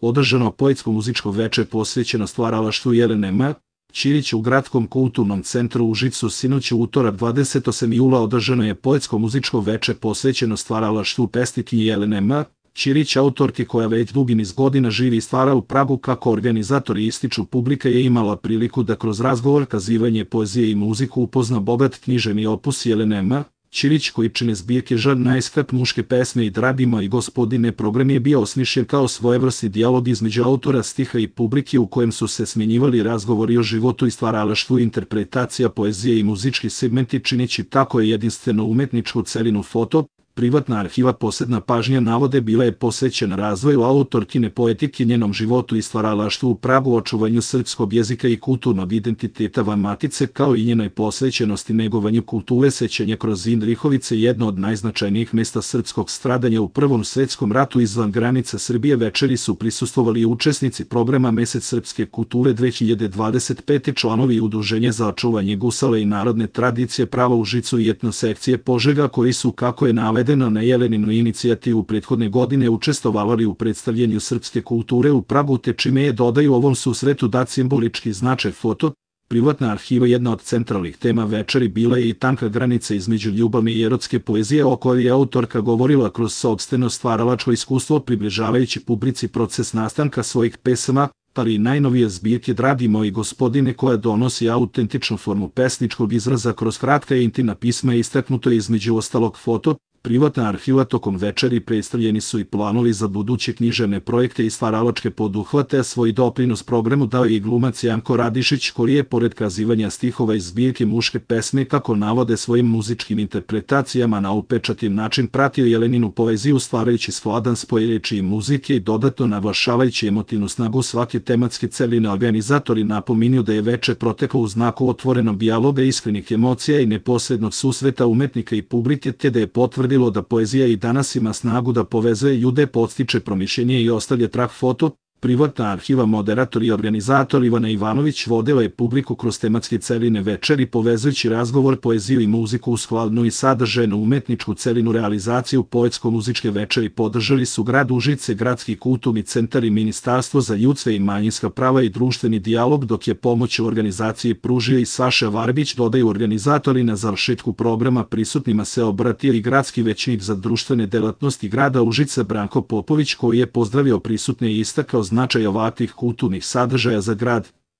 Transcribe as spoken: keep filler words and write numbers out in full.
održano poetsko-muzičko veče posvećeno stvaralaštvu Jelene M. Ćirić u Gradskom kulturnom centru u Užicu. Sinoć u utorak dvadesetog osmog jula održano je poetsko-muzičko veče posvećeno stvaralaštvu pesnikinje Jelene M. Ćirić, autorke koja već dugi niz godina živi i stvara u Pragu. Kako organizatori ističu, publika je imala priliku da kroz razgovor, kazivanje poezije i muziku upozna bogat književni opus Jelene M. Ćirić, koji čine zbirke Žar najskrap, muške pesme i Dragi moji gospodine. Program je bio osmišljen kao svojevrsni dijalog između autora stiha i publike u kojem su se smenjivali razgovori o životu i stvaralaštvu, interpretacija poezije i muzički segmenti, čineći tako je jedinstveno umetničku celinu. Foto, privatna arhiva. Posebna pažnja navode bila je posvećena razvoju autorkine poetike, njenom životu i stvaralaštvu u Pragu, očuvanju srpskog jezika i kulturnog identiteta van matice, kao i njenoj posvećenosti negovanju kulture sećanja kroz Indrihovice, jedno od najznačajnijih mesta srpskog stradanja u Prvom svetskom ratu izvan granica Srbije. Večeri su prisustvovali učesnici programa Mesec srpske kulture dve hiljade dvadeset pete, članovi Udruženja za očuvanje gusale i narodne tradicije Prava u Užicu i etnosekcije Požega, koji su, kako je navedeno na Jeleninu inicijativu prethodne godine, učestvovali u predstavljanju srpske kulture u Pragu, te čime je, dodaju, ovom susretu dat simbolički značaj. Foto, privatna arhiva. Jedna od centralnih tema večeri bila je i tanka granica između ljubavne i erotske poezije, o kojoj je autorka govorila kroz sopstveno stvaralačko iskustvo, približavajući publici proces nastanka svojih pesama, ali i najnovije zbirke Dragi moji gospodine, koja donosi autentičnu formu pesničkog izraza kroz kratka i intimna pisma. Istaknuto je između ostalog. Foto, privatna arhiva. Tokom večeri predstavljeni su i planovi za buduće književne projekte i stvaralačke poduhvate, a svoj doprinos programu dao je i glumac Janko Radišić, koji je, pored kazivanja stihova iz zbirke muške pesme, kako navode, svojim muzičkim interpretacijama na upečatljiv način pratio Jeleninu poeziju, stvarajući skladan spoj reči i muzike i dodatno naglašavajući emotivnu snagu svake tematske celine. Organizatori napominju da je veče proteklo u znaku otvorenog dijaloga, iskrenih emocija i neposrednog susreta umetnika i publike, te da je potvrdilo da poezija i danas ima snagu da povezuje ljude, podstiče promišljenje i ostavlja trag. Foto, privatna arhiva. Moderator i organizator Ivana Ivanović vodila je publiku kroz tematske celine večeri, povezujući razgovor, poeziju i muziku u skladnu i sadržajnu umetničku celinu. Realizaciju poetsko-muzičke večeri podržali su grad Užice, Gradski kulturni centar i Ministarstvo za ljudska i manjinska prava i društveni dijalog, dok je pomoć u organizaciji pružio i Saša Varbić, dodaju organizatori. Na završetku programa prisutnima se obratio i gradski većnik za društvene delatnosti grada Užice Branko Popović, koji je pozdravio prisutne i istakao značaj ovakvih kulturnih sadržaja za grad.